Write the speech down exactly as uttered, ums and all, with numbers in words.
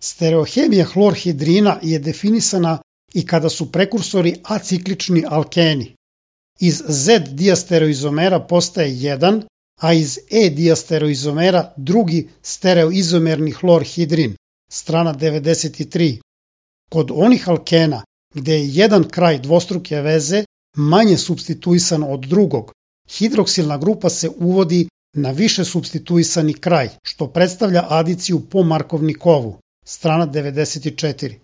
Stereohemija hlorhidrina je definisana i kada su prekursori aciklični alkeni. Iz Z-diastereoizomera postaje jedan, a iz E-diastereoizomera drugi stereoizomerni hlorhidrin, strana devedeset tri. Kod onih alkena gde je jedan kraj dvostruke veze manje supstituisan od drugog, hidroksilna grupa se uvodi na više supstituisani kraj, što predstavlja adiciju po Markovnikovu, strana devedeset četiri.